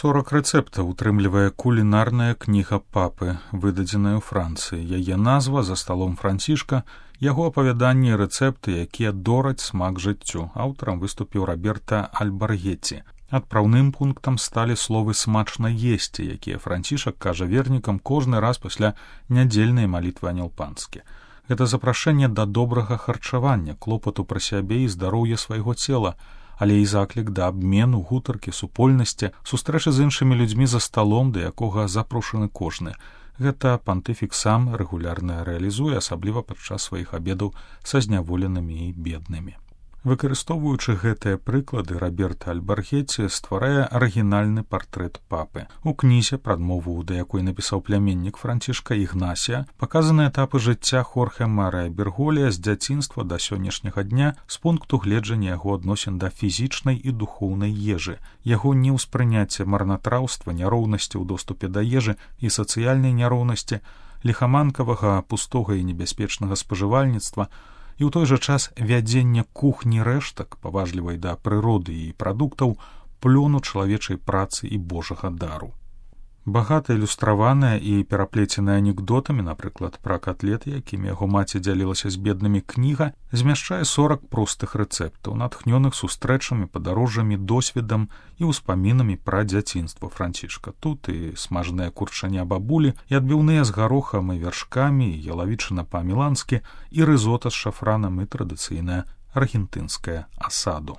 40 рэцэптаў утрымлівае кулінарная кніга папы, выдадзеная ў Францыі. Яе назва «За сталом Францішка», яго апавяданні і рэцэпты, якія дораць смак жыццю. Аўтарам выступіў Роберта Альбаргеці. Адпраўным пунктам сталі словы «смачна есці», якія Францішак кажа вернікам кожны раз пасля нядзельнай малітвы анёл-панскі. Гэта запрашэнне да добрага харчавання, клопату пра сябе і здароўя свайго цела, але і заклік да абмену, гутаркі, супольнасці, сустрэчы з іншымі людзьмі за сталом, да якога запрошаны кожны. Гэта пантыфік сам рэгулярна рэалізуе, асабліва падчас сваіх абедаў са зняволенымі і беднымі. Выкарыстоўваючы гэтыя прыклады, Роберт Альбаргеці стварае арыгінальны партрэт папы. У кнізе, прадмову да якой напісаў пляменнік Францішка Ігнасія, паказаны этапы жыцця Хорхе Марыя Берголія з дзяцінства да сённяшняга дня з пункту гледжання яго адносін да фізічнай і духоўнай ежы, яго неўспрыняцце марнатраўства, няроўнасці ў доступе да ежы і сацыяльнай няроўнасці, ліхаманкавага, пустога і небяспечнага спажывальніцтва, і ў той жа час вядзення кухні рэштак, паважлівай да прыроды і прадуктаў, плёну чалавечай працы і божага дару. Багата ілюстраваная і пераплеценая анекдотамі, напрыклад, пра катлеты, якімі яго маці дзялілася з беднымі, кніга змяшчае 40 простых рэцэптаў, натхнёных сустрэчамі, падарожжамі, досведам і ўспамінамі пра дзяцінства Францішка. Тут і смажаныя курчаня бабулі, і адбіўныя з гарохам і вяршкамі, і ялавічына па-міланскі, і рызота з шафранам, і традыцыйная аргентынская асаду.